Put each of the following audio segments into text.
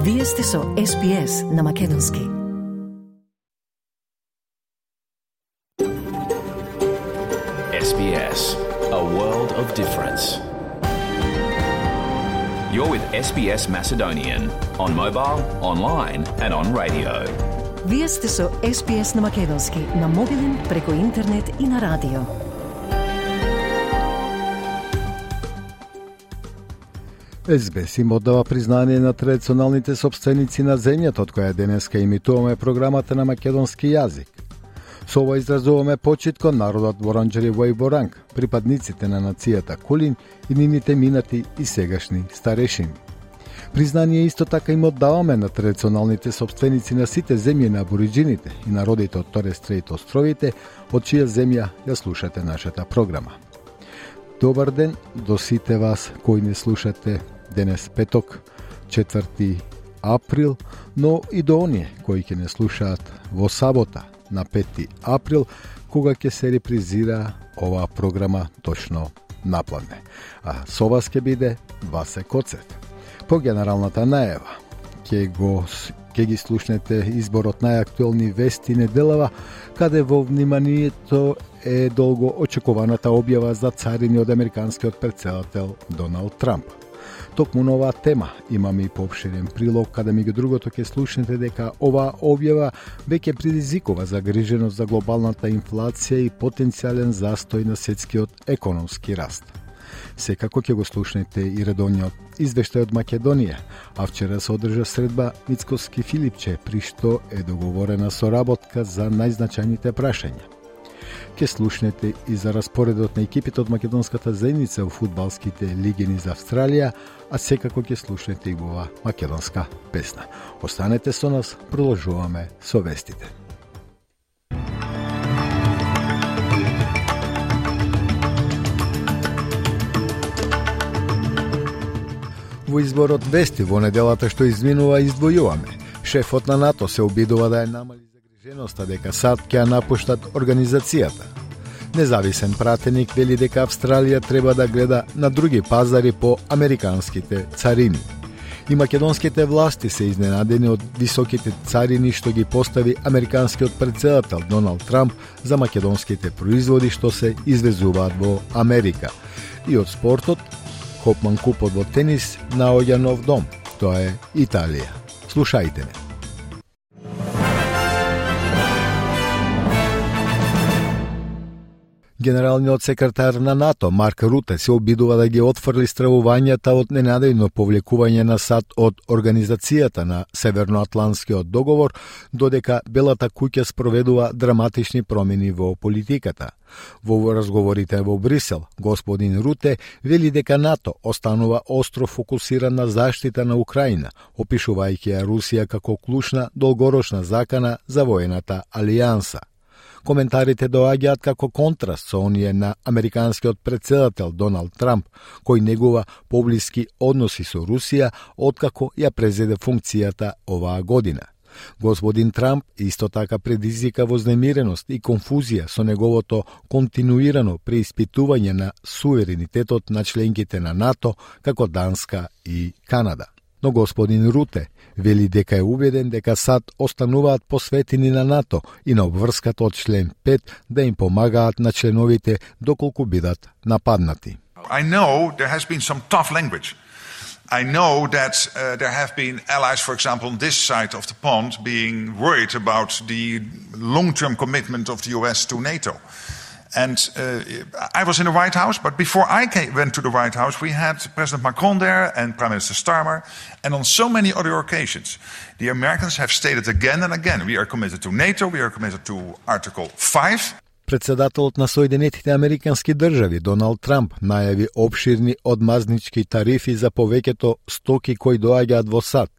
Вие сте со SPS на македонски. SBS, a world of difference. You're with SBS Macedonian on mobile, online and on radio. Вие сте со SPS на македонски на мобилен, преку интернет и на радио. SBS им оддава признание на традиционалните собственици на земјата, од која денеска имитуваме програмата на македонски јазик. Со ова изразуваме почит кон народот Воранџери во Боранг, припадниците на нацијата Кулин и нивните минати и сегашни старешини. Признание исто така им оддаваме на традиционалните собственици на сите земји на абориџините и народите од Торес Стрейт островите, од чија земја ја слушате нашата програма. Добар ден до сите вас кои не слушате денес петок, 4 април, но и до оние кои ќе не слушаат во сабота на 5 април, кога ќе се репризира оваа програма точно напладне. А со вас ќе биде Васе Коцев. По генералната најава ќе ги слушнете изборот најактуелни вести неделава, каде во вниманието е долго очекуваната објава за царини од американскиот претседател Доналд Трамп. Токму на оваа тема имаме и поопширен прилог, каде меѓу другото ќе слушнете дека оваа објава веќе предизвикува загриженост за глобалната инфлација и потенцијален застој на светскиот економски раст. Секако ќе го слушнете и редовниот извештај од Македонија, а вчера се одржа средба Мицкоски Филипче, при што е договорена соработка за најзначајните прашања. Ке слушнете и за распоредот на екипите од македонската заедница во фудбалските лиги за Австралија, а секако ќе слушнете и во македонска песна. Останете со нас, продолжуваме со вестите. Во изборот вести во неделата што изминува издвојуваме. Шефот на НАТО се обидува да ја намали загриженоста дека САД ќе напуштат организацијата. Независен пратеник вели дека Австралија треба да гледа на други пазари по американските царини. И македонските власти се изненадени од високите царини што ги постави американскиот претседател Доналд Трамп за македонските производи што се извезуваат во Америка. И од спортот, Хопман Купот во тенис наоѓа нов дом. Тоа е Италија. Слушајте ме. Генералниот секретар на НАТО Марк Руте се обидува да ги отфрли стравувањата од ненадејно повлекување на САД од Организацијата на Северноатлантскиот договор, додека Белата куќа спроведува драматични промени во политиката. Во разговорите во Брисел, господин Руте вели дека НАТО останува остро фокусиран на заштита на Украина, опишувајќи ја Русија како клучна долгорочна закана за воената алијанса. Коментарите доаѓаат како контраст со оние на американскиот претседател Доналд Трамп, кој негува поблиски односи со Русија откако ја презеде функцијата оваа година. Господин Трамп исто така предизвика вознемиреност и конфузија со неговото континуирано преиспитување на суверенитетот на членките на НАТО, како Данска и Канада. Но господин Руте вели дека е убеден дека САД остануваат посветени на НАТО и на обврската од член 5 да им помагаат на членовите доколку бидат нападнати. I know there has been some tough language. I know that there have been allies, for example, on this side of the pond being worried about the long-term commitment of the US to NATO. And I was in the White House, but before I went to the White House, we had President Macron there and Prime Minister Starmer, and on so many other occasions. The Americans have stated again and again, we are committed to NATO, we are committed to Article 5. Председателот на Соединетите Американски држави Доналд Трамп најави обширни одмазнички тарифи за повеќето стоки кои доаѓаат во САД,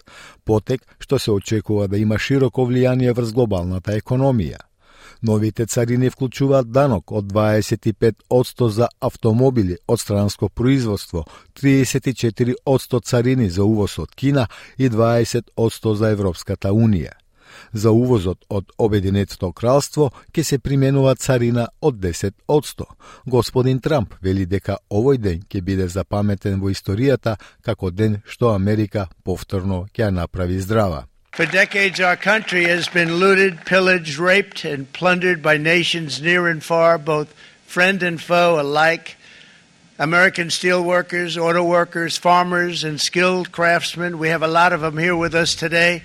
потек што се очекува да има широко влијание врз глобалната економија. Новите царини вклучуваат данок од 25% за автомобили од странско производство, 34% царини за увоз од Кина и 20% за Европската Унија. За увозот од Обединетото кралство ќе се применува царина од 10%. Господин Трамп вели дека овој ден ќе биде запаметен во историјата како ден што Америка повторно ќе ја направи здрава. For decades, our country has been looted, pillaged, raped, and plundered by nations near and far, both friend and foe alike. American steel workers, auto workers, farmers, and skilled craftsmen. We have a lot of them here with us today.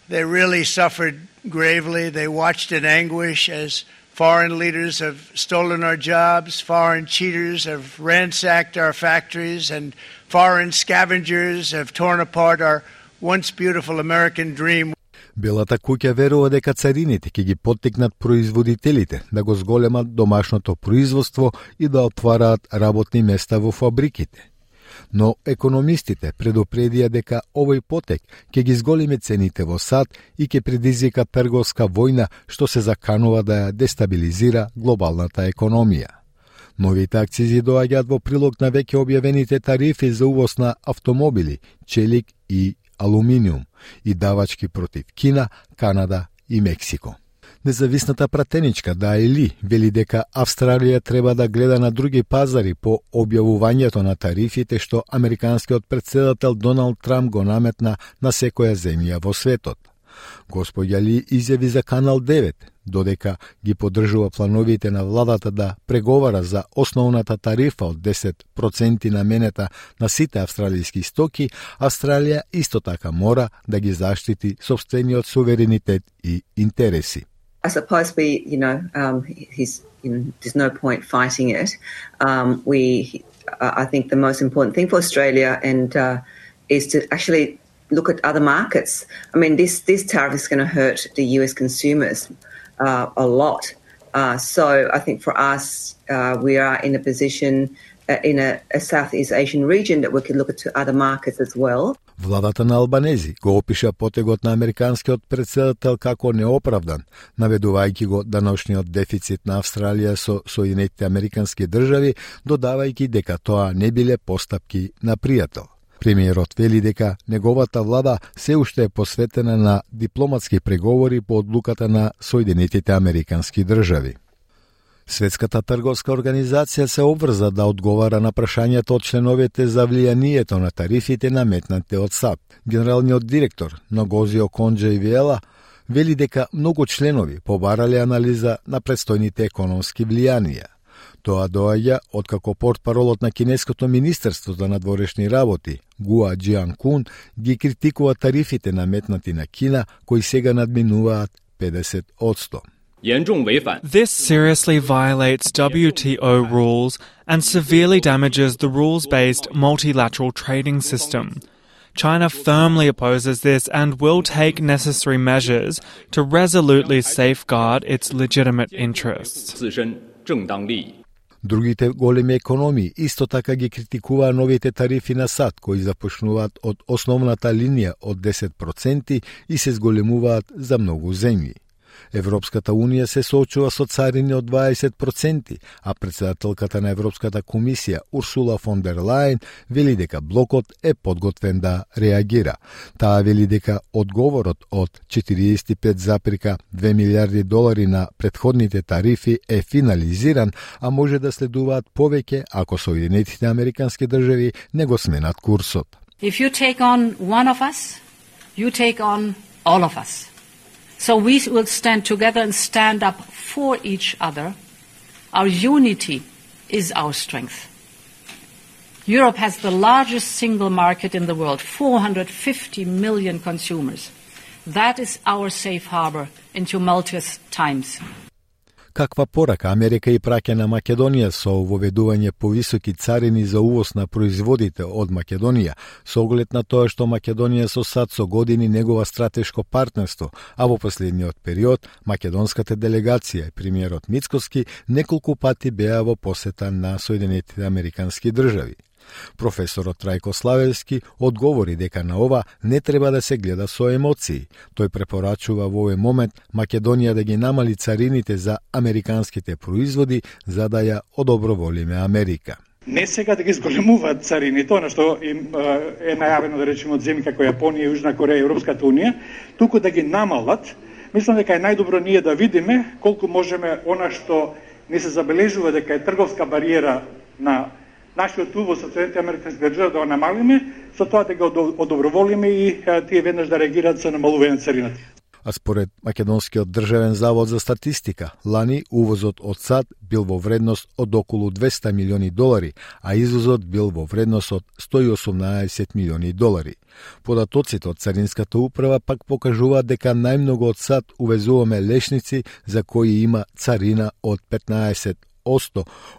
They really suffered gravely. They watched in anguish as foreign leaders have stolen our jobs, foreign cheaters have ransacked our factories, and foreign scavengers have torn apart our once beautiful American dream. Белата куќа верува дека царините ќе ги поттикнат производителите да го зголемат домашното производство и да отвараат работни места во фабриките. Но економистите предупредија дека овој потек ќе ги зголеми цените во САД и ќе предизвика трговска војна што се заканува да ја дестабилизира глобалната економија. Новите акцизи доаѓаат во прилог на веќе објавените тарифи за увоз на автомобили, челик и алуминиум и давачки против Кина, Канада и Мексико. Независната пратеничка Даели вели дека Австралија треба да гледа на други пазари по објавувањето на тарифите што американскиот претседател Доналд Трамп го наметна на секоја земја во светот. Господја Ли изјави за Канал 9, додека ги поддржува плановите на владата да преговара за основната тарифа од 10% наменета на сите австралијски стоки, Австралија исто така мора да ги заштити сопствениот суверенитет и интереси. I suppose there's no point fighting it. I think the most important thing for Australia is to actually look at other markets. I mean, this tariff is going to hurt the US consumers a lot. So I think for us, we are in a position in a Southeast Asian region that we could look at to other markets as well. Владата на Албанези го опиша потегот на американскиот претседател како неоправдан, наведувајќи го даношниот дефицит на Австралија со Соединетите Американски држави, додавајќи дека тоа не биле постапки на пријател. Премиерот вели дека неговата влада се уште е посветена на дипломатски преговори по одлуката на Соединетите Американски држави. Светската трговска организација се обврза да одговара на прашањето од членовите за влијанието на тарифите наметнати од САД. Генералниот директор Нгози Оконџо-Ивиела вели дека многу членови побарале анализа на предстојните економски влијанија. Тоа доаѓа откако портпаролот на Кинеското министерство за надворешни работи, Гуа Џијанкун, ги критикува тарифите наметнати на Кина, кои сега надминуваат 50%. This seriously violates WTO rules and severely damages the rules-based multilateral trading system. China firmly opposes this and will take necessary measures to resolutely safeguard its legitimate interests. Другите големи економии исто така ги критикуваа новите тарифи на САД, кои започнуваат од основната линија од 10% и се зголемуваат за многу земји. Европската Унија се соочува со царини од 20%, а претседателката на Европската комисија Урсула фон дер Лајен вели дека блокот е подготвен да реагира. Таа вели дека одговорот од 45,2 милиарди долари на претходните тарифи е финализиран, а може да следуваат повеќе ако Соединетите Американски држави не го сменат курсот. If you take on one of us, you take on all of us. So we will stand together and stand up for each other. Our unity is our strength. Europe has the largest single market in the world, 450 million consumers. That is our safe harbor in tumultuous times. Каква порака Америка и праќа на Македонија со воведување повисоки царини за увоз на производите од Македонија, со оглед на тоа што Македонија со САД со години негова стратешко партнерство, а во последниот период македонската делегација и премиерот Мицкоски неколку пати беа во посета на Соединетите Американски држави. Професорот Трајко Славевски одговори дека на ова не треба да се гледа со емоции. Тој препорачува во овој момент Македонија да ги намали царините за американските производи за да ја одоброволиме Америка. Не сега да ги зголемуваат царините, она што им е најавено да речеме од земји како Јапонија, Јужна Кореја и Европската унија, туку да ги намалат. Мислам дека е најдобро ние да видиме колку можеме она што не се забележува дека е трговска бариера на нашиот увоз од Соединетите Американски држави да го намалиме, со тоа да го одоброволиме и тие веднаш да реагираат со намалување на царината. А според Македонскиот државен завод за статистика, лани увозот од САД бил во вредност од околу $200 милиони, а извозот бил во вредност од $118 милиони. Податоците од Царинската управа пак покажуваат дека најмногу од САД увезуваме лешници за кои има царина од 15%,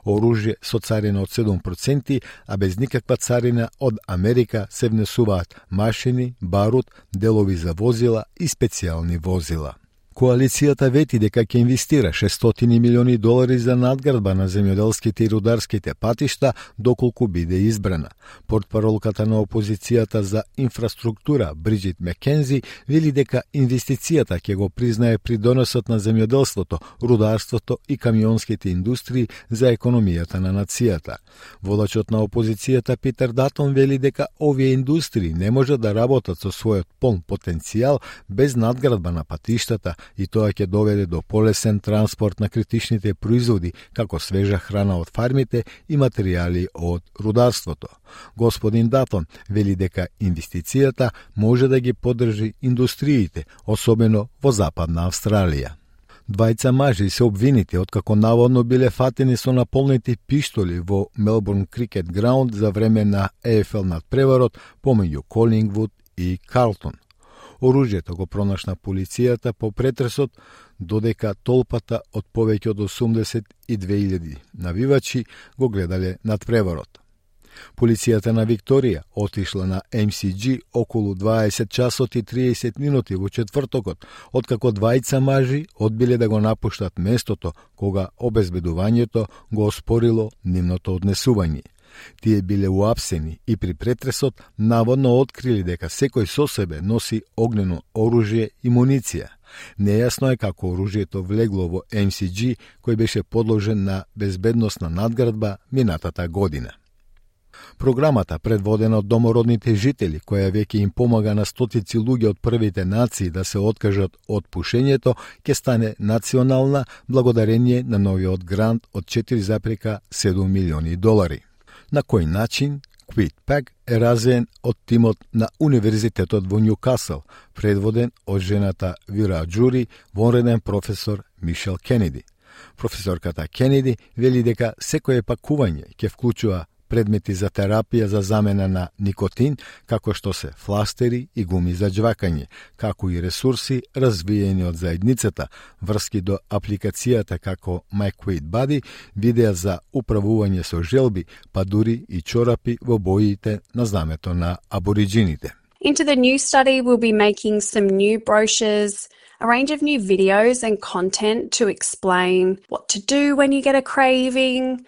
оружје со царина од 7%, а без никаква царина од Америка се внесуваат машини, барут, делови за возила и специјални возила. Коалицијата вети дека ќе инвестира $600 милиони за надградба на земјоделските и рударските патишта доколку биде избрана. Портпаролката на опозицијата за инфраструктура Бриджит Мекензи вели дека инвестицијата ќе го признае придоносот на земјоделството, рударството и камионските индустрии за економијата на нацијата. Водачот на опозицијата Питер Датон вели дека овие индустрии не можат да работат со својот полн потенцијал без надградба на патиштата, и тоа ќе доведе до полесен транспорт на критичните производи, како свежа храна од фармите и материјали од рударството. Господин Датон вели дека инвестицијата може да ги поддржи индустриите, особено во Западна Австралија. Двајца мажи се обвинити откако наводно биле фатени со наполнети пиштоли во Мелбурн Крикет Граунд за време на ЕФЛ надпреварот помеѓу Колингвуд и Карлтон. Оружјето го пронашна полицијата по претресот, додека толпата од повеќе од 82.000 навивачи го гледале надпреварот. Полицијата на Викторија отишла на MCG околу 20 часот и 30 минути во четвртокот, откако двајца мажи одбиле да го напуштат местото кога обезбедувањето го оспорило нивното однесување. Тие биле уапсени и при претресот наводно открили дека секој со себе носи огнено оружје и муниција. Нејасно е како оружјето влегло во MCG, кој беше подложен на безбедносна надградба минатата година. Програмата, предводена од домородните жители, која веќе им помага на стотици луѓе од првите нации да се откажат од пушењето, ќе стане национална благодарение на новиот грант од $4,7 милиони. На кој начин QuickPack е развиен од тимот на Универзитетот во Њукасл, предводен од жената Вира Джури, вонреден професор Мишел Кенеди. Професорката Кенеди вели дека секое пакување ќе вклучува предмети за терапија за замена на никотин, како што се фластери и гуми за џвакање, како и ресурси развиени од заедницата, врски до апликацијата како MyQuickBuddy, видеа за управување со желби, па дури и чорапи во боите на знамето на абориджините. Into the new study, we'll be making some new brochures, a range of new videos and content to explain what to do when you get a craving,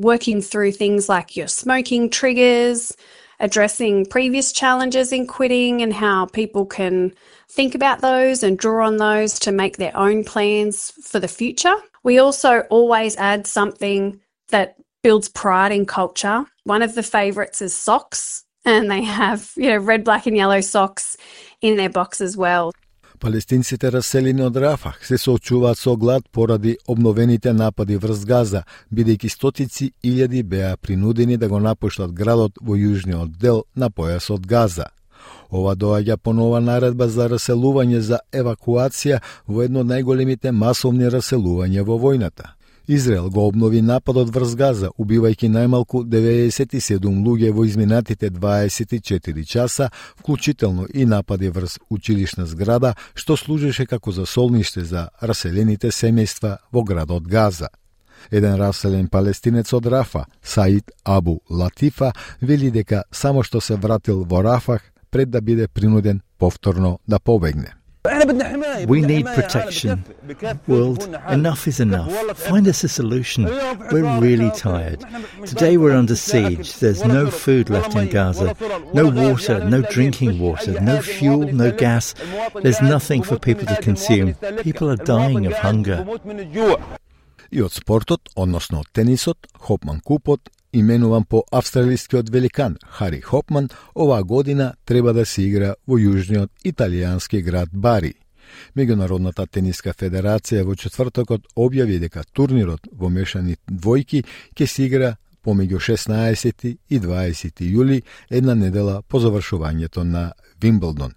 working through things like your smoking triggers, addressing previous challenges in quitting and how people can think about those and draw on those to make their own plans for the future. We also always add something that builds pride in culture. One of the favourites is socks, and they have, red, black and yellow socks in their box as well. Палестинците раселени од Рафах се соочуваат со глад поради обновените напади врз Газа, бидејќи стотици илјади беа принудени да го напуштат градот во јужниот дел на појасот Газа. Ова доаѓа по нова наредба за раселување за евакуација во едно од најголемите масовни раселувања во војната. Израел го обнови нападот врз Газа, убивајќи најмалку 97 луѓе во изминатите 24 часа, вклучително и напади врз училишна зграда, што служеше како засолниште за раселените семејства во градот Газа. Еден раселен палестинец од Рафа, Саид Абу Латифа, вели дека само што се вратил во Рафах пред да биде принуден повторно да побегне. We need protection. World, enough is enough. Find us a solution. We're really tired. Today we're under siege. There's no food left in Gaza. No water, no drinking water, no fuel, no gas. There's nothing for people to consume. People are dying of hunger. И од спортот, односно од тенисот, Хопман Купот именуван по австралискиот великан Хари Хопман, оваа година треба да се игра во јужниот италијански град Бари. Меѓународната тениска федерација во четвртокот објави дека турнирот во мешани двојки ќе се игра помеѓу 16 и 20 јули, една недела по завршувањето на Вимблдон.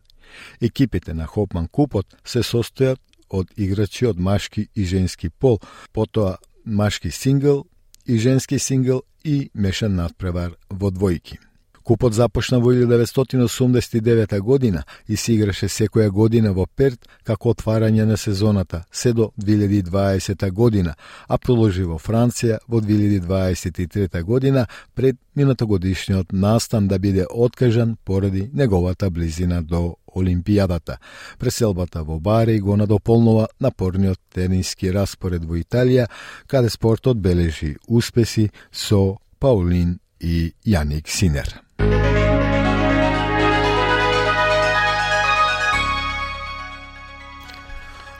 Екипите на Хопман купот се состојат од играчи од машки и женски пол, потоа машки сингл и женски сингл и мешан надпревар во двојки. Купот започна во 1989 година и се играше секоја година во Перт како отварање на сезоната се до 2020 година, а продолжи во Франција во 2023 година пред минатогодишниот настан да биде откажан поради неговата близина до Олимпијадата. Преселбата во Бари го надополнува напорниот тениски распоред во Италија, каде спортот бележи успеси со Паулин и Јаник Синер.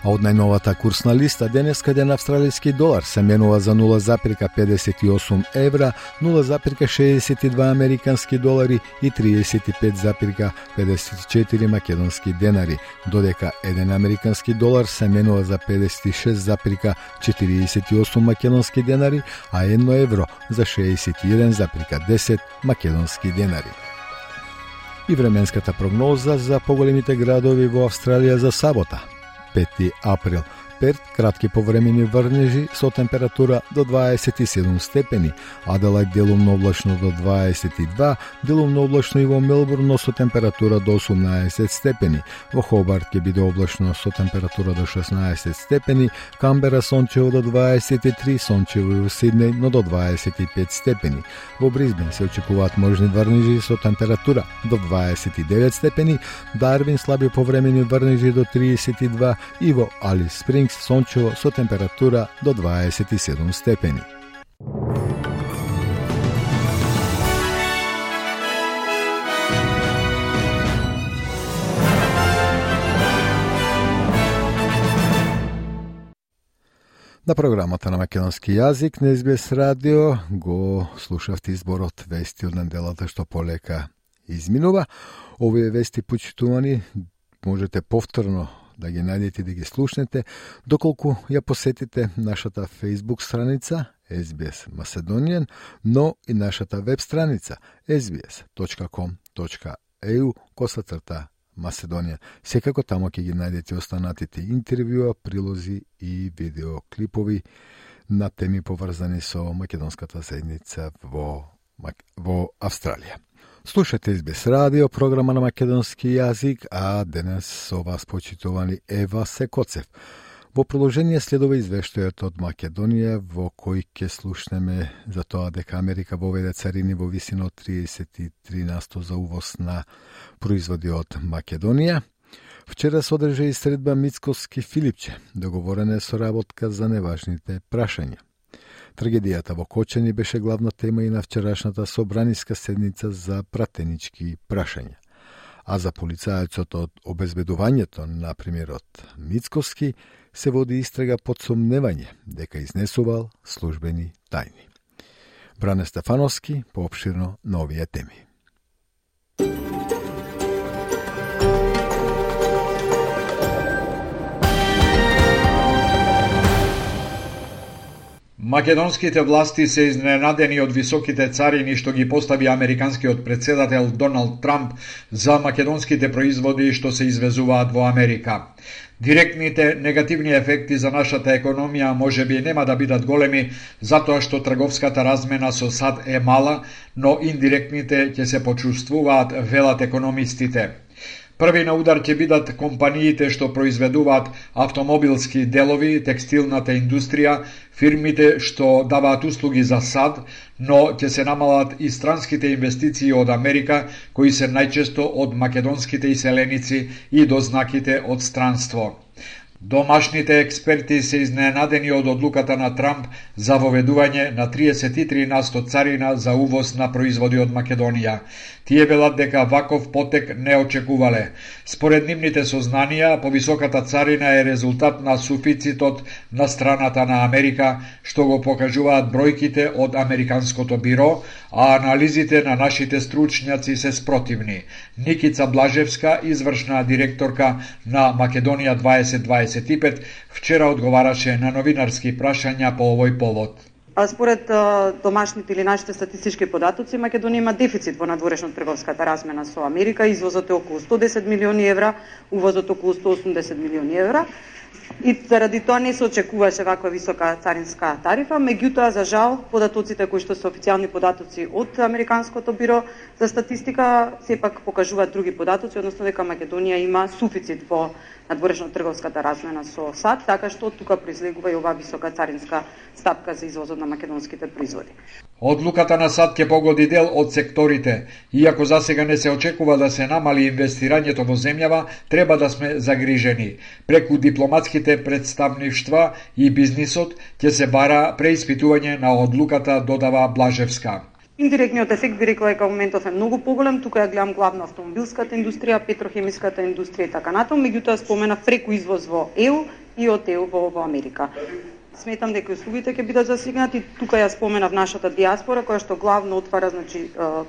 А од најновата курсна листа денеска ден австралиски долар се менува за 0,58 евра, 0,62 американски долари и 35,54 македонски денари, додека 1 американски долар се менува за 56,48 македонски денари, а 1 евро за 61,10 македонски денари. И временската прогноза за поголемите градови во Австралија за сабота. 5 април. Перт, кратки повремени врнежи со температура до 27 степени, Аделајд делумно облачно до 22, делумно облачно и во Мелбурн со температура до 18 степени, во Хобарт ќе биде облачно со температура до 16 степени, Камбера сончево до 23, сончево и во Сиднеј но до 25 степени, во Брисбен се очекуваат можни врнежи со температура до 29 степени, Дарвин слаби повремени врнежи до 32 и во Алис Спрингс сончево со температура до 27 степени. На програмата на македонски јазик на СБС радио го слушавте изборот вести од неделата што полека изминува. Овие вести, почитувани, можете повторно да ги најдете и да ги слушнете, доколку ја посетите нашата Facebook страница SBS Macedonian, но и нашата веб страница sbs.com.au/Macedonian. Секако тамо ќе ги најдете останатите интервјуа, прилози и видеоклипови на теми поврзани со македонската заедница во Австралија. Слушате СБС радио, програма на македонски јазик, а денес со вас почитувани Ева Секоцев. Во продолжение следува извештајот од Македонија, во кој ќе слушнеме за тоа дека Америка воведе царини во висина од 33% за увоз на производи од Македонија. Вчера се одржа и средба Мицковски-Филипче, договорена со работка за неважните прашања. Трагедијата во Кочани беше главна тема и на вчерашната собраниска седница за пратенички прашања. А за полицајецот од обезбедувањето на премиерот Мицковски се води истрага под сомневање дека изнесувал службени тајни. Бране Стефановски поопширно на овие теми. Македонските власти се изненадени од високите царини што ги постави американскиот претседател Доналд Трамп за македонските производи што се извезуваат во Америка. Директните негативни ефекти за нашата економија можеби нема да бидат големи, затоа што трговската размена со САД е мала, но индиректните ќе се почувствуваат, велат економистите. Први на удар ќе бидат компаниите што произведуваат автомобилски делови, текстилната индустрија, фирмите што даваат услуги за САД, но ќе се намалат и странските инвестиции од Америка, кои се најчесто од македонските иселеници и дознаките од странство. Домашните експерти се изненадени од одлуката на Трамп за воведување на 33% царина за увоз на производи од Македонија. Тие велат дека ваков потек не очекувале. Според нивните сознанија, повисоката царина е резултат на суфицитот на страната на Америка, што го покажуваат бројките од Американското биро, а анализите на нашите стручњаци се спротивни. Никица Блажевска, извршна директорка на Македонија 2025, вчера одговараше на новинарски прашања по овој повод. А според домашните или нашите статистички податоци, Македонија има дефицит во надворешно трговската размена со Америка. Извозот е околу 110 милиони евра, увозот околу 180 милиони евра. И заради тоа не се очекуваше ваква висока царинска тарифа, меѓутоа за жал податоците кои што се официјални податоци од Американското биро за статистика сепак покажуваат други податоци, односно дека Македонија има суфицит во надворешно трговската размена со САД, така што тука произлегува и оваа висока царинска стапка за извозот на македонските производи. Одлуката на САД ќе погоди дел од секторите. Иако засега не се очекува да се намали инвестирањето во земјава, треба да сме загрижени. Преку дипломатските представништва и бизнисот ќе се бара преиспитување на одлуката, додава Блажевска. Индиректниот ефект би рекла дека моментов е многу поголем, тука ја гледам главно автомобилската индустрија, петрохемиската индустрија и така натаму, меѓутоа спомена преку извоз во ЕУ и од ЕУ во Америка. Сметам дека услугите ќе бидат засегнати. Тука ја споменав нашата диаспора која што главно отвара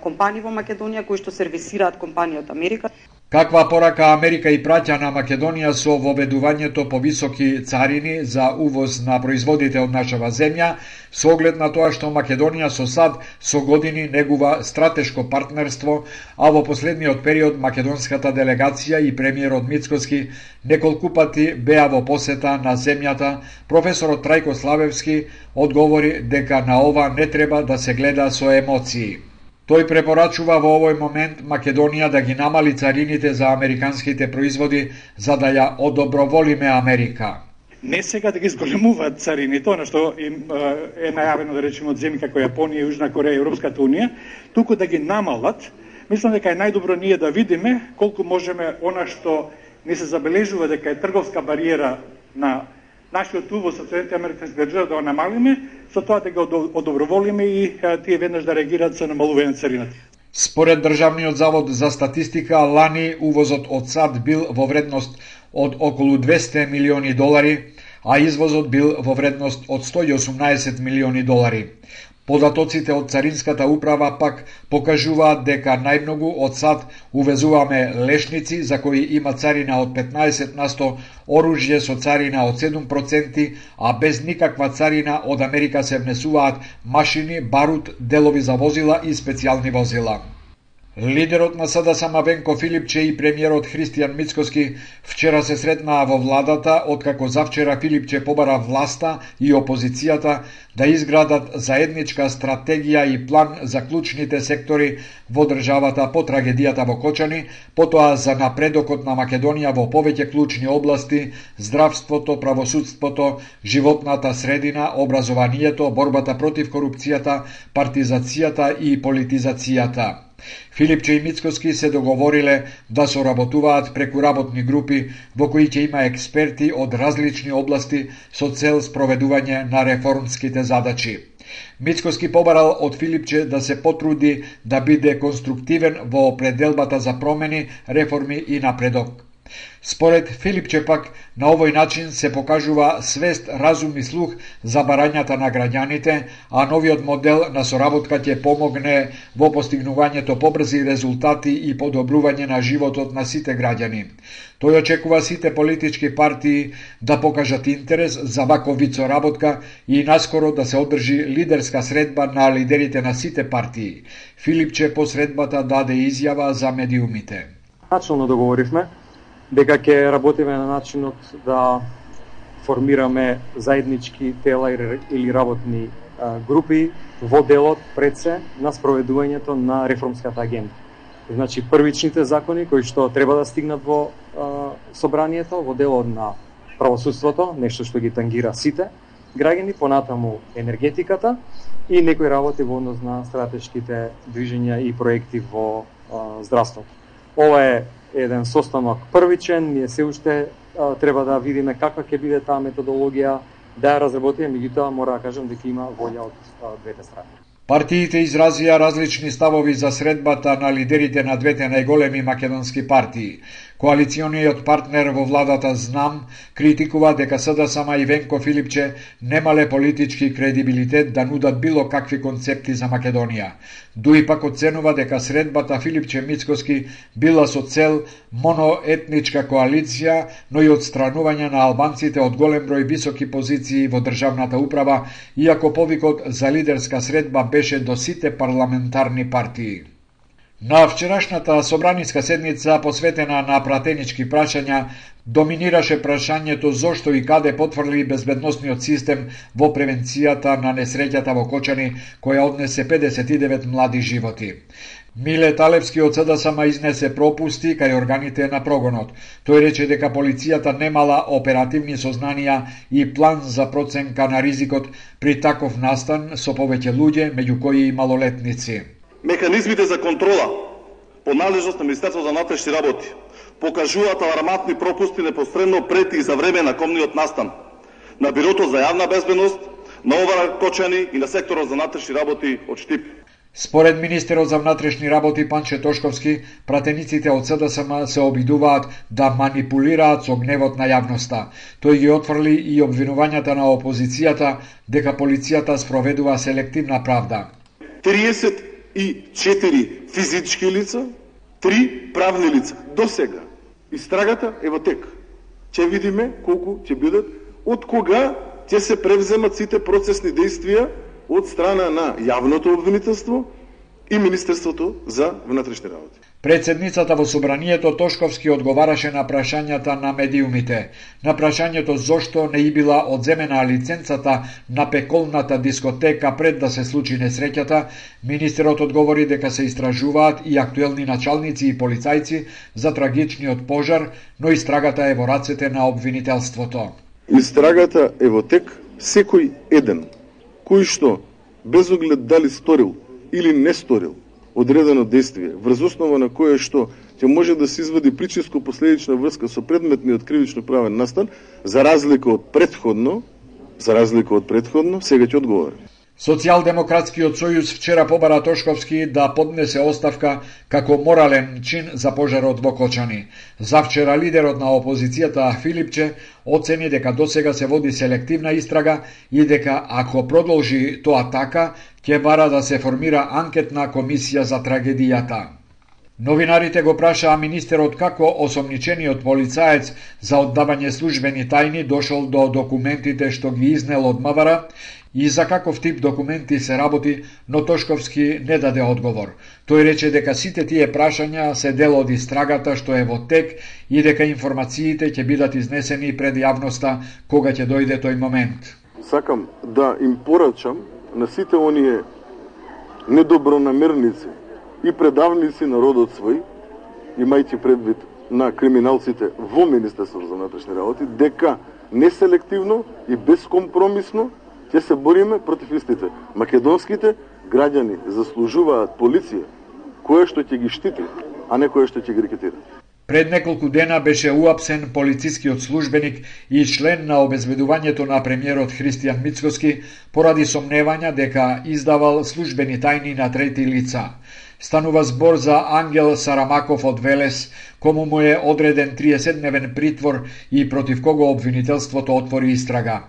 компании во Македонија кои што сервисираат компании од Америка. Каква порака Америка и праќа на Македонија со воведувањето по високи царини за увоз на производите од нашава земја, со оглед на тоа што Македонија со САД со години негува стратешко партнерство, а во последниот период македонската делегација и премиерот Мицкоски неколку пати беа во посета на земјата, професорот Трајко Славевски одговори дека на ова не треба да се гледа со емоции. Тој препорачува во овој момент Македонија да ги намали царините за американските производи за да ја одоброволиме Америка. Не сега да ги зголемуваат царините, она што им е најавено да речеме од земји како Јапонија, Јужна Кореја и Европската Унија, туку да ги намалат. Мислам дека е најдобро ние да видиме колку можеме она што не се забележува дека е трговска бариера на нашиот увоз од Соединетите Американски држави да го намалиме, со тоа да го одоброволиме и тие веднаш да реагираат со намалување на царината. Според Државниот завод за статистика, лани увозот од САД бил во вредност од околу 200 милиони долари, а извозот бил во вредност од 118 милиони долари. Податоците од Царинската управа пак покажуваат дека најмногу од САД увезуваме лешници за кои има царина од 15%, оружје со царина од 7%, а без никаква царина од Америка се внесуваат машини, барут, делови за возила и специјални возила. Лидерот на СДСМ Венко Филипче и премиерот Христијан Мицкоски вчера се сретнаа во владата, откако завчера Филипче побара власта и опозицијата да изградат заедничка стратегија и план за клучните сектори во државата по трагедијата во Кочани, потоа за напредокот на Македонија во повеќе клучни области: здравството, правосудството, животната средина, образованието, борбата против корупцијата, партизацијата и политизацијата. Филипче и Мицкоски се договориле да соработуваат преку работни групи во кои ќе има експерти од различни области со цел спроведување на реформските задачи. Мицкоски побарал од Филипче да се потруди да биде конструктивен во определбата за промени, реформи и напредок. Според Филипче пак, на овој начин се покажува свест, разум и слух за барањата на граѓаните, а новиот модел на соработка ќе помогне во постигнувањето побрзи резултати и подобрување на животот на сите граѓани. Тој очекува сите политички партии да покажат интерес за ваков вид соработка и наскоро да се одржи лидерска средба на лидерите на сите партии. Филипче по средбата даде изјава за медиумите. Начално договоривме дека ќе работиме на начинот да формираме заеднички тела или работни групи во делот пред се на спроведувањето на реформската агенда. Значи, првичните закони кои што треба да стигнат во собранието, во делот на правосудството, нешто што ги тангира сите граѓани, понатаму енергетиката и некои работи во однос на стратешките движења и проекти во здравството. Ова е еден состанок првичен, ние се уште треба да видиме каква ќе биде таа методологија, да ја разработиме, меѓутоа мора да кажам дека има волја од двете страни. Партиите изразија различни ставови за средбата на лидерите на двете најголеми македонски партии. Коалициониот партнер во владата ЗНАМ критикува дека СДСМ и Венко Филипче немале политички кредибилитет да нудат било какви концепти за Македонија. Дуи пак оценува дека средбата Филипче-Мицкоски била со цел моноетничка коалиција, но и отстранување на албанците од голем број високи позиции во државната управа, иако повикот за лидерска средба беше до сите парламентарни партии. На вчерашната собраниска седница, посветена на пратенички прашања, доминираше прашањето зошто и каде потврли безбедносниот систем во превенцијата на несреќата во Кочани, која однесе 59 млади животи. Миле Талевски од СДСМ изнесе пропусти кај органите на прогонот. Тој рече дека полицијата немала оперативни сознанија и план за проценка на ризикот при таков настан со повеќе луѓе, меѓу кои и малолетници. Механизмите за контрола по надлежност на Министерството за внатрешни работи покажуваат алармантни пропусти непосредно пред и за време на комниот настан на Бирото за јавна безбедност, на ОВР Кочани и на секторот за внатрешни работи од Штип. Според министерот за внатрешни работи Панче Тошковски, пратениците од СДСМ се обидуваат да манипулираат со гневот на јавноста. Тој ги отфрли и обвинувањата на опозицијата дека полицијата спроведува селективна правда. 34 физички лица, 3 правни лица. До сега. Истрагата е во тек. Ќе видиме колку ќе бидат, од кога ќе се превземат сите процесни действија од страна на јавното обвинителство и Министерството за внатрешни работи. Председницата во собранието Тошковски одговараше на прашањата на медиумите. На прашањето зошто не и била одземена лиценцата на пеколната дискотека пред да се случи несреќата, министерот одговори дека се истражуваат и актуелни началници и полицајци за трагичниот пожар, но истрагата е во рацете на обвинителството. Истрагата е во тек, секој еден кој што без оглед дали сторил или не сторил одредено действие, врз основа на кое што ќе може да се извади причинско-последична врска со предметниот кривично-правен настан, за разлика од предходно, сега ќе одговори. Социјалдемократскиот сојуз вчера побара Тошковски да поднесе оставка како морален чин за пожарот во Кочани. Завчера лидерот на опозицијата Филипче оцени дека досега се води селективна истрага и дека ако продолжи тоа така, ќе бара да се формира анкетна комисија за трагедијата. Новинарите го прашаа министерот како осомничениот полицаец за оддавање службени тајни дошол до документите што ги изнел од МВР и за каков тип документи се работи, но Тошковски не даде одговор. Тој рече дека сите тие прашања се дел од истрагата што е во тек и дека информациите ќе бидат изнесени пред јавноста кога ќе дојде тој момент. Сакам да им порачам на сите оние недобронамерници и предавници народот свој, имајќи предвид на криминалците во Министерството за внатрешни работи, дека неселективно и безкомпромисно ќе се бориме против истите. Македонските граѓани заслужуваат полиција која што ќе ги штити, а не која што ќе ги рекетира. Пред неколку дена беше уапсен полицискиот службеник и член на обезбедувањето на премиерот Христијан Мицкоски поради сомневања дека издавал службени тајни на трети лица. Станува збор за Ангел Сарамаков од Велес, кому му е одреден 30-дневен притвор и против кого обвинителството отвори истрага.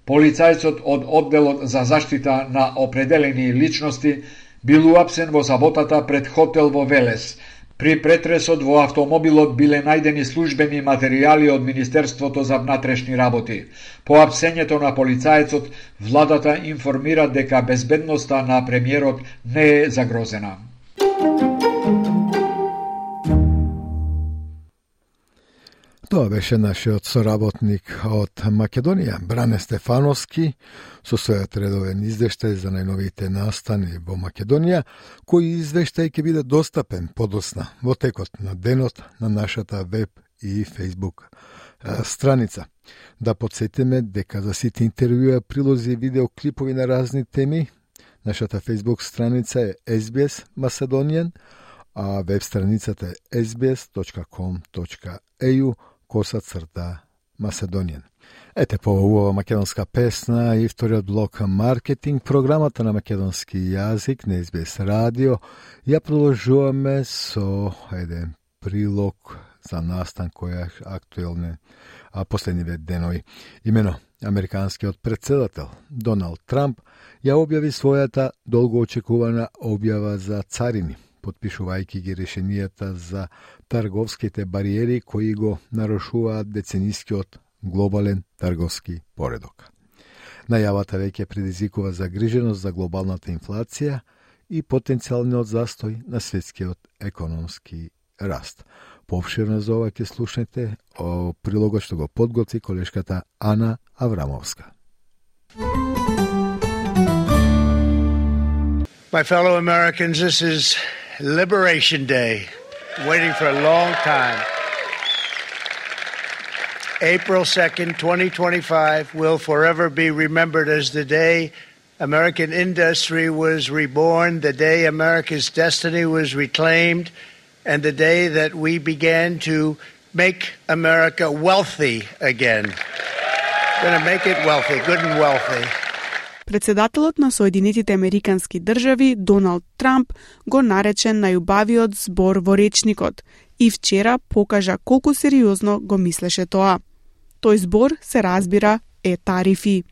Полицајцот од одделот за заштита на определени личности бил уапсен во саботата пред хотел во Велес. При претресот во автомобилот биле најдени службени материјали од Министерството за внатрешни работи. По апсењето на полицајцот, владата информира дека безбедноста на премиерот не е загрозена. Тоа беше нашиот соработник од Македонија, Бране Стефановски, со својот редовен извештај за најновите настани во Македонија, кој извештај ќе биде достапен подосна во текот на денот на нашата веб и Facebook страница. Да подсетиме дека за сите интервјуа, прилози и видеоклипови на разни теми, нашата Facebook страница е SBS Macedonian, а веб страницата е sbs.com.au/Macedonian. Ете по убава македонска песна и вториот блок маркетинг, програмата на македонски јазик на SBS радио. Ја продолжуваме со еден прилог за настан кој е актуелен последниве денови. Имено, американскиот председател Доналд Трамп ја објави својата долгоочекувана објава за царини, потпишувајќи ги решенијата за трговските бариери кои го нарушуваат деценискиот глобален трговски поредок. Најавата веќе предизвикува загриженост за глобалната инфлација и потенцијалниот застој на светскиот економски раст. Пообширно за ова ќе слушнете о прилогот што го подготви колешката Ана Аврамовска. My fellow Americans, this is Liberation Day, waiting for a long time. April 2nd, 2025 will forever be remembered as the day American industry was reborn, the day America's destiny was reclaimed, and the day that we began to make America wealthy again. We're going to make it wealthy, good and wealthy. Председателот на Соединетите Американски држави Доналд Трамп го нарече најубавиот збор во речникот и вчера покажа колку сериозно го мислеше тоа. Тој збор се разбира е тарифи.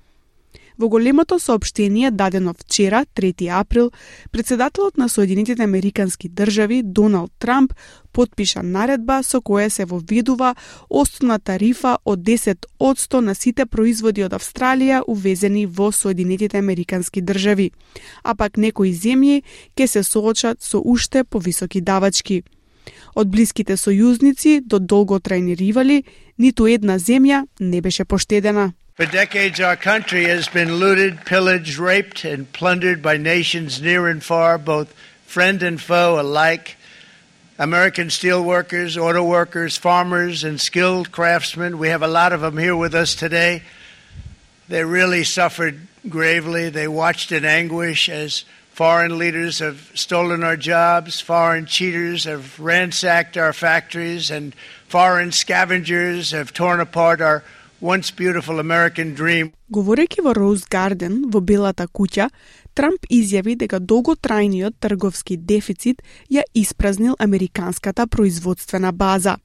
Во големото соопштение дадено вчера, 3 април, председателот на Соединетите Американски држави Доналд Трамп потпиша наредба со која се воведува основна тарифа од 10% на сите производи од Австралија увезени во Соединетите Американски држави, а пак некои земји ќе се соочат со уште повисоки давачки. Од блиските сојузници до долготрајни ривали, ниту една земја не беше поштедена. For decades, our country has been looted, pillaged, raped, and plundered by nations near and far, both friend and foe alike. American steel workers, auto workers, farmers, and skilled craftsmen. We have a lot of them here with us today. They really suffered gravely. They watched in anguish as foreign leaders have stolen our jobs, foreign cheaters have ransacked our factories, and foreign scavengers have torn apart our once beautiful American dream. Говорејќи во Роуз Гарден, во Белата куќа, Трамп изјави дека долготрајниот трговски дефицит ја испразнил американската производствена база.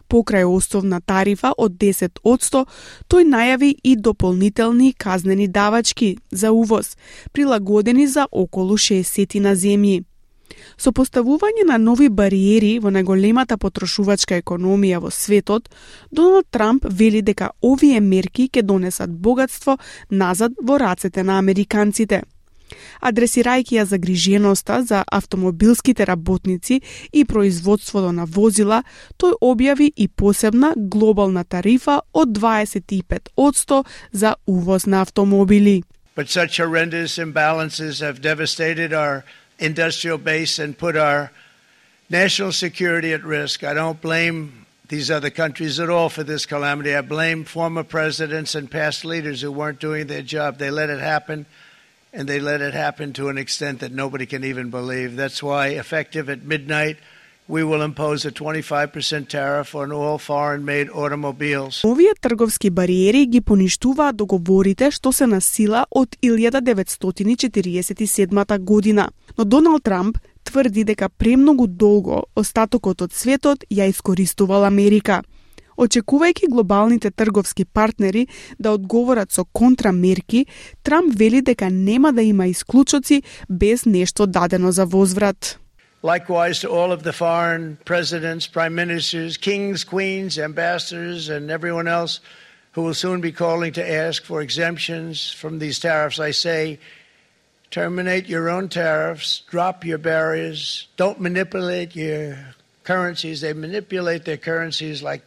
Покрај основна тарифа од 10%, тој најави и дополнителни казнени давачки за увоз, прилагодени за околу 60 на земји. Со поставување на нови бариери во најголемата потрошувачка економија во светот, Доналд Трамп вели дека овие мерки ќе донесат богатство назад во рацете на американците. Адресирајќи ја загриженоста за автомобилските работници и производството на возила, тој објави и посебна глобална тарифа од 25% за увоз на автомобили. But such horrendous imbalances have devastated our industrial base and put our national security at risk. I don't blame these other countries at all for this calamity. I blame former presidents and past leaders who weren't doing their job. They let it happen, and they let it happen to an extent that nobody can even believe. That's why, effective at midnight, we will impose a 25% tariff on all foreign-made automobiles. Овие трговски бариери ги поништуваат договорите што се на сила од 1947 година. Но Доналд Трамп тврди дека премногу долго остатокот од светот ја искористувал Америка. Очекувајќи глобалните трговски партнери да одговорат со контрамерки, Трамп вели дека нема да има исклучоци без нешто дадено за возврат. Likewise to all of the foreign presidents, prime ministers, kings, queens, ambassadors, and everyone else who will soon be calling to ask for exemptions from these tariffs, I say, terminate your own tariffs, drop your barriers, don't manipulate your currencies. They manipulate their currencies like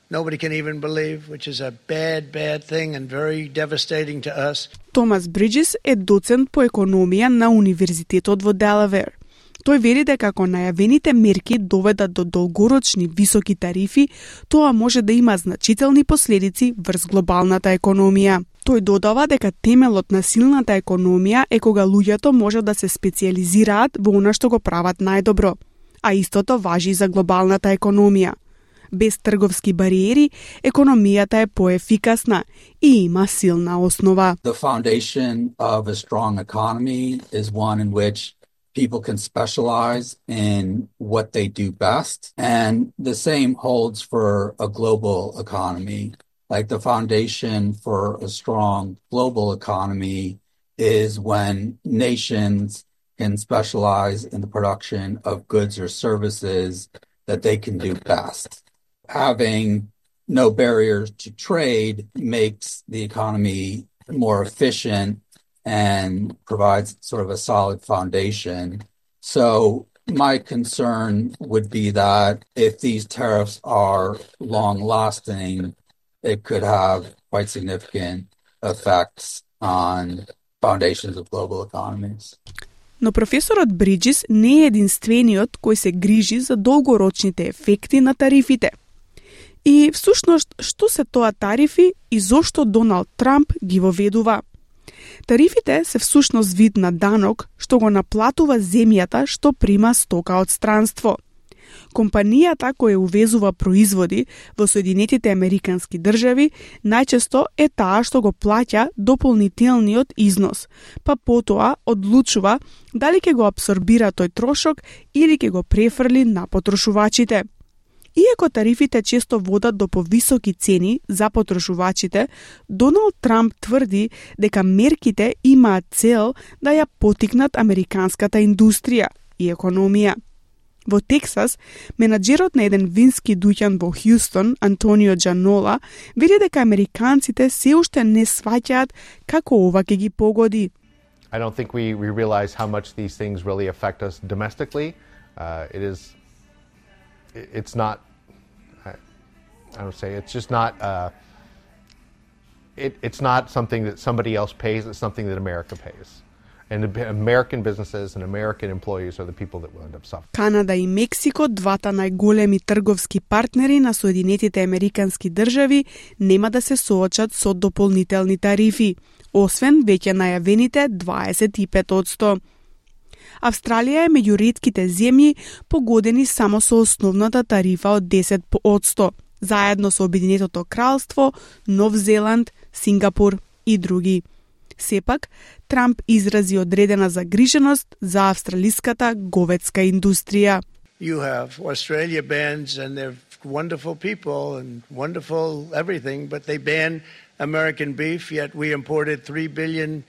nobody can even believe, which is a bad, bad thing and very devastating to us. Томас Бриджис е доцент по економија на Универзитетот во Делавер. Тој вели дека ако најавените мерки доведат до долгорочни високи тарифи, тоа може да има значителни последици врз глобалната економија. Тој додава дека темелот на силната економија е кога луѓето може да се специјализираат во она што го прават најдобро. а истото важи за глобалната економија. Без трговски бариери, економијата е поефикасна и има силна основа. The foundation of a strong economy is one in which people can specialize in what they do best. And the same holds for a global economy. Like the foundation for a strong global economy is when nations can specialize in the production of goods or services that they can do best. Having no barriers to trade makes the economy more efficient and provides sort of a solid foundation. So my concern would be that if these tariffs are long-lasting, it could have quite significant effects on foundations of global economies. Но професорот Бриджис не е единствениот кој се грижи за долгорочните ефекти на тарифите. И всушност, што се тоа тарифи и зошто Доналд Трамп ги воведува? Тарифите се всушност вид на данок што го наплатува земјата што прима стока од странство. Компанијата која увезува производи во Соединетите Американски држави најчесто е таа што го плаќа дополнителниот износ, па потоа одлучува дали ќе го апсорбира тој трошок или ќе го префрли на потрошувачите. Иако тарифите често водат до повисоки цени за потрошувачите, Доналд Трамп тврди дека мерките имаат цел да ја поттикнат американската индустрија и економија. Во Тексас, менаџерот на еден вински дуќан во Хјустон, Антонио Джанола, вели дека американците се уште не сваќаат како ова ќе ги погоди. I don't think we realize how much these things really affect us domestically. It's not, I don't say, it's just not, it's not something that somebody else pays, it's something that America pays. And American businesses and American employees are the people that will end up suffering. Канада и Мексико, двата најголеми трговски партнери на Соединетите Американски држави, нема да се соочат со дополнителни тарифи, освен веќе најавените 25%. Австралија е меѓу ретките земји погодени само со основната тарифа од 10%, заедно со Обединетото кралство, Нов Зеланд, Сингапур и други. Сепак, Трамп изрази одредена загриженост за австралиската говедска индустрија. You have Australia bans and they're wonderful people and wonderful everything, but they ban American beef, yet we imported $3 billion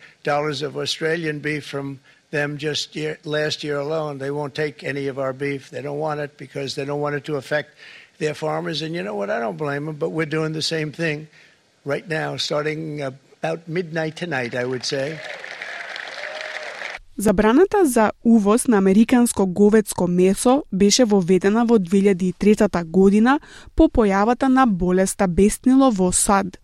of Australian beef from them just last year alone. They won't take any of our beef. They don't want it because they don't want it to affect their farmers. And you know what? I don't blame them, but we're doing the same thing right now, starting about midnight tonight, I would say. Забраната за увоз на американско говедско месо беше воведена во 2003 година по појавата на болеста беснило во САД.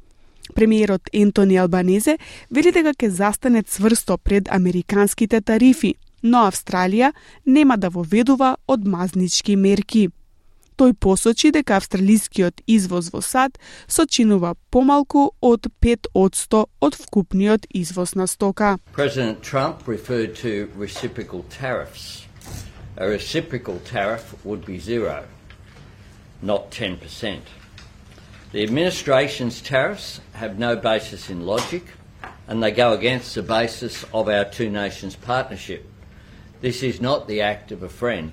Премиерот Ентони Албанезе вели дека ќе застане цврсто пред американските тарифи, но Австралија нема да воведува одмазнички мерки. Тој посочи дека австралискиот извоз во САД сочинува помалку од 5% од вкупниот извоз на стока. President Trump referred to reciprocal tariffs. A reciprocal tariff would be 0, not 10%. The administration's tariffs have no basis in logic and they go against the basis of our two nations partnership. This is not the act of a friend.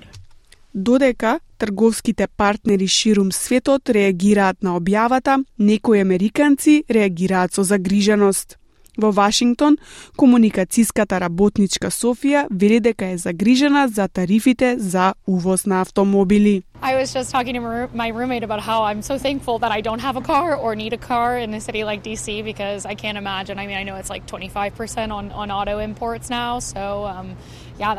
Додека трговските партнери ширум светот реагираат на објавата, некои американци реагираат со загриженост. Во Вашингтон, комуникацијската работничка Софија вели дека е загрижена за тарифите за увоз на автомобили. I was just talking to my roommate about how I'm so thankful that I don't have a car or need a car in a city like DC because I can't imagine. I mean, I know it's like 25% on auto imports now, so yeah,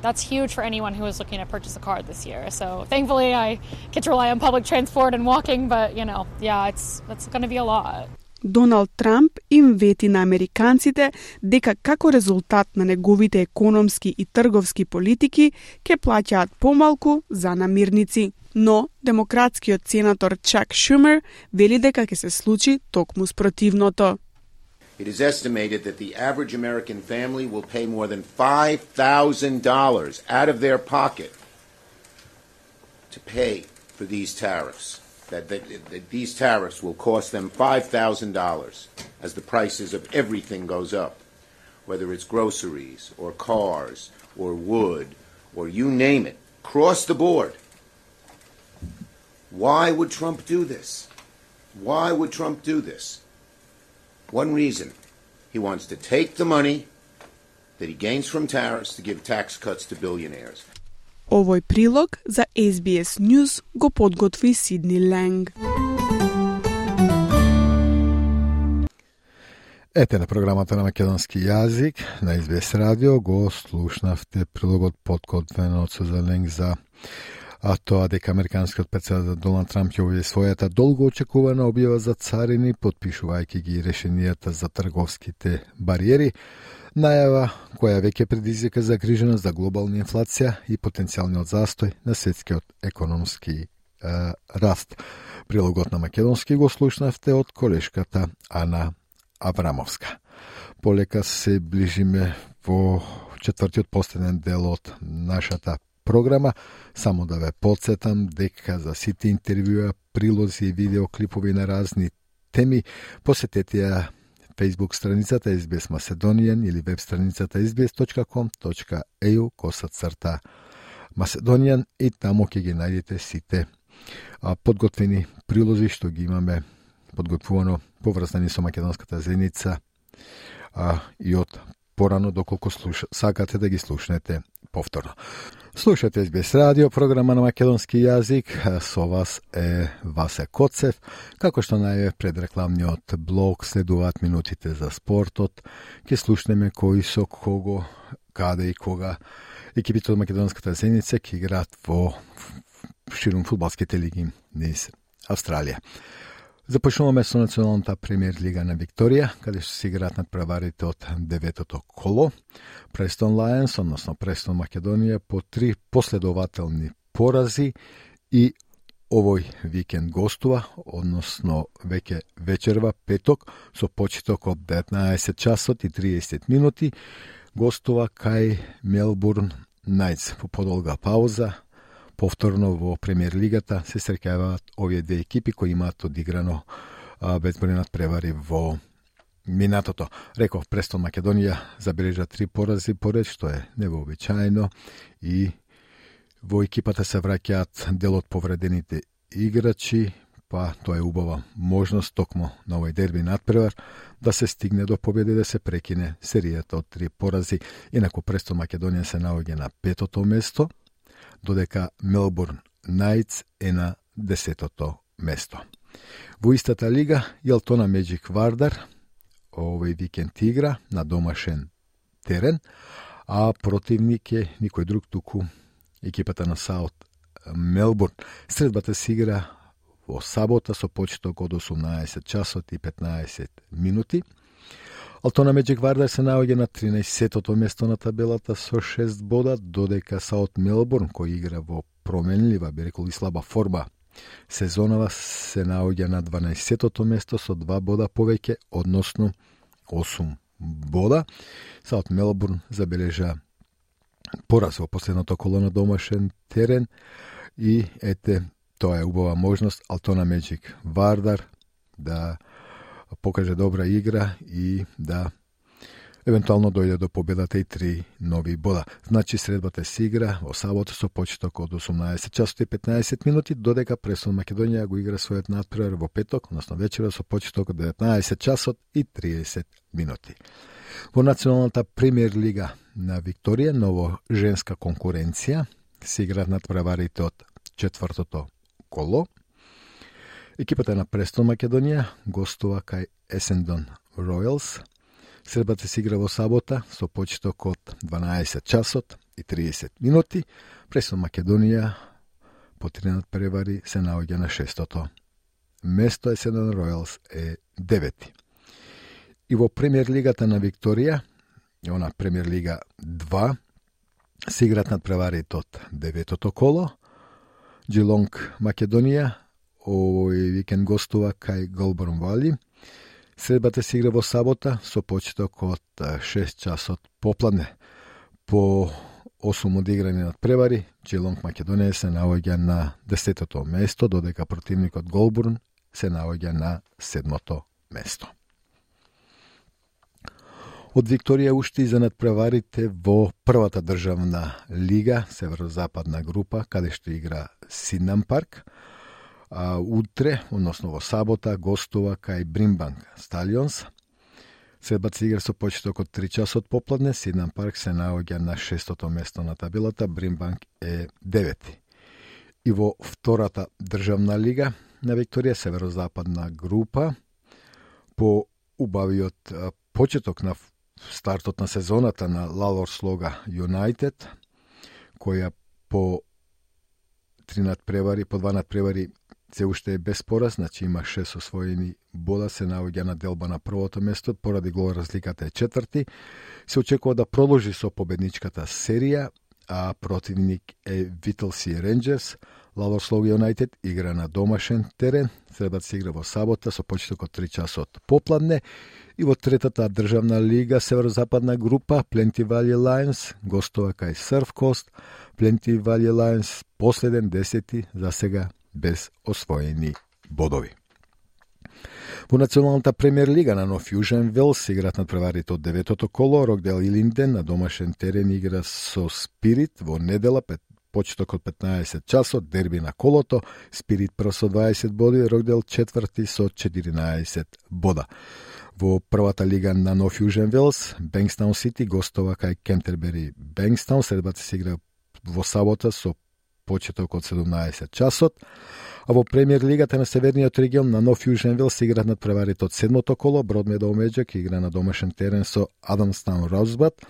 that's huge for anyone who is looking to purchase a car this year. So thankfully, I get to rely on public transport and walking, but you know, yeah, it's going to be a lot. Доналд Трамп им вети на американците дека како резултат на неговите економски и трговски политики ќе плаќаат помалку за намирници. Но демократскиот сенатор Чак Шумер вели дека ќе се случи токму спротивното. It is estimated that the average American family will pay more than $5,000 out of their pocket to pay for these tariffs, that these tariffs will cost them $5,000 as the prices of everything goes up, whether it's groceries or cars or wood or you name it, across the board. Why would Trump do this? Why would Trump do this? One reason. He wants to take the money that he gains from tariffs to give tax cuts to billionaires. Овој прилог за SBS News го подготви Сидни Ленг. Ете на програмата на македонски јазик на SBS радио го слушнавте прилогот подготвен од Сузан Ленг за тоа дека американскиот претседател Доналд Трамп ќе објави својата долго очекувана објава за царини, потпишувајќи ги решенијата за трговските бариери, најава која веќе предизвика загриженост за глобална инфлација и потенцијалниот застој на светскиот економски раст. Прилогот на македонски го слушнавте од колешката Ана Аврамовска. Полека се ближиме во четвртиот последен дел од нашата програма. Само да ве подсетам дека за сите интервјуа, прилози и видеоклипови на разни теми посетете ја Facebook страницата SBS Macedonian или веб страницата sbs.com.au/Macedonian и таму ќе ги најдете сите подготвени прилози што ги имаме подготвувано поврзани со македонската заедница и од порано доколку сакате да ги слушнете повторно. Слушате SBS радио, програма на македонски јазик. Со вас е Васе Коцев. Како што најавив пред рекламниот блок, следуваат минутите за спортот. Ке слушнеме кои со кого, каде и кога екипите од македонската заедница ќе играат во ширум фудбалските лиги низ Австралија. Започнуваме со националната премиер лига на Викторија, каде што се играат надпреварите од 9-то коло. Престон Лајонс, односно Престон Македонија, по 3 последователни порази и овој викенд гостува, односно веќе вечерва, петок, со почеток од 19 часот и 30 минути, гостува кај Мелбурн Најтс по подолга пауза. Повторно во премиер лигата се среќаваат овие две екипи кои имаат одиграно безброј надпревари во минатото. Реков, Престон Македонија забележа 3 порази поред, што е невообичаено, и во екипата се враќаат дел од повредените играчи, па тоа е убава можност токму на овој дерби надпревар да се стигне до победа и да се прекине серијата од 3 порази. Инаку Престон Македонија се наоѓа на 5-то место, додека Мелбурн Најтс е на 10-то место. Во истата лига, Елтона Меджик Вардар овој викенд игра на домашен терен, а противник е никој друг туку екипата на Саут Мелбурн. Средбата се игра во сабота со почеток од 18 часот и 15 минути. Елтона Меджик Вардар се наоѓа на 13-тото место на табелата со 6 бода, додека Саут Мелбурн, кој игра во променлива, би рекол и слаба форма сезонава, се наоѓа на 12-тото место со 2 бода повеќе, односно 8 бода. Саут Мелбурн забележа пораз во последното коло на домашен терен и ете, тоа е убава можност Елтона Меджик Вардар да покаже добра игра и да евентуално дојде до победата и 3 нови бода. Значи средбата се игра во сабота со почеток од 18 часот и 15 минути, додека Престон Македонија го игра својот надпревар во петок, односно вечера со почеток од 19 часот и 30 минути. Во националната премиер лига на Викторија, ново женска конкуренција, се играат надпреварите од 4-то коло. Екипата на Престон Македонија гостува кај Есендон Ројалс. Средбата се игра во сабота со почеток од 12 часот и 30 минути. Престон Македонија по 3 надпревари се наоѓа на 6-то место, Есендон Ројалс е 9-ти. И во премиер лигата на Викторија, она премиер лига 2, се играат надпреварите од 9-то коло. Джилонг Македонија овој викенд гостува кај Голборн Вали. Средбата се игра во сабота со почеток од 6 часот попладне. По 8 одиграни надпревари, Geelong Македонија се наоѓа на 10-то место, додека противникот Голбурн се наоѓа на 7-то место. Од Викторија уште и за надпреварите во првата државна лига, северозападна група, каде што игра Сиднам Парк. Утре, односно во сабота, гостува кај Бримбанк Сталионс. Средбаци игра со почеток од 3 часот попладне, Сиднам Парк се наоѓа на 6-то место на табелата, Бримбанк е 9-ти. И во втората државна лига на Викторија, северозападна група, по убавиот почеток на стартот на сезоната на Лалор Слога Юнайтед, која по 2 надпревари се уште е без пораз, значи има 6 освоени бода, се наоѓа на делба на првото место, поради гол разликата е 4-ти. Се очекува да продолжи со победничката серија, а противник е Витълси Ренџерс. Лалор Слог Юнайтед игра на домашен терен, средбата се игра во сабота со почеток од 3 часот попладне. И во третата државна лига, северозападна група, Пленти Вали Лајонс гостува кај Сурф Кост. Пленти Вали Лајонс последен 10-ти, за сега без освоени бодови. Во националната премиер лига на Нов Јужен Велс играат надпреварите од 9-то коло. Рокдел Илинден на домашен терен игра со Спирит во недела, почеток од 15 часот, дерби на колото. Спирит прв со 20 боди, Рокдел четврти со 14 бода. Во првата лига на Нов Јужен Велс, Бенкстаун Сити гостува кај Кентербери Бенкстаун. Средбата се игра во сабота со почеток од 17 часот. А во премиер лигата на Северниот регион на Нов Јужен Велс се играат надпреварите од 7-то коло. Бродмедоу Меджик игра на домашен терен со Адамстаун Розбат.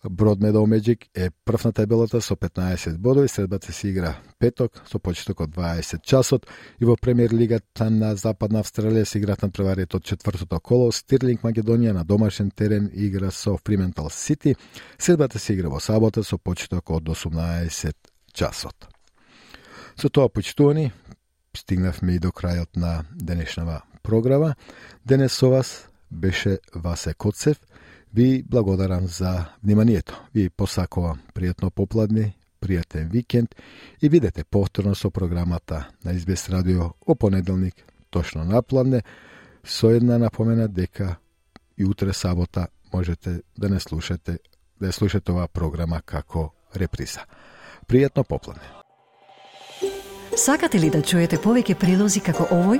Бродмедоу Меджик е прв на табелата со 15 бодови. Средбата се игра петок со почеток од 20 часот. И во премиер лигата на Западна Австралија се играат надпреварите од 4-то коло. Стирлинг Македонија на домашен терен игра со Фриментал Сити. Средбата се игра во сабота со почеток од 18 часот. Со тоа, почитувани, стигнавме и до крајот на денешнава програма. Денес со вас беше Васе Коцев. Ви благодарам за вниманието. Ви посакувам пријатно попладне, пријатен викенд и видете повторно со програмата на СБС радио о понеделник, точно напладне, со една напомена дека и утре сабота можете да не слушате, да слушате оваа програма како реприза. Пријатно попладне. Сакате ли да чуете повеќе прилози како овој?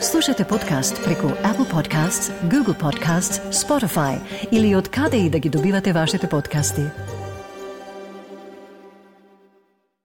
Слушате подкаст преку Apple Podcasts, Google Podcasts, Spotify или од каде и да ги добивате вашите подкасти.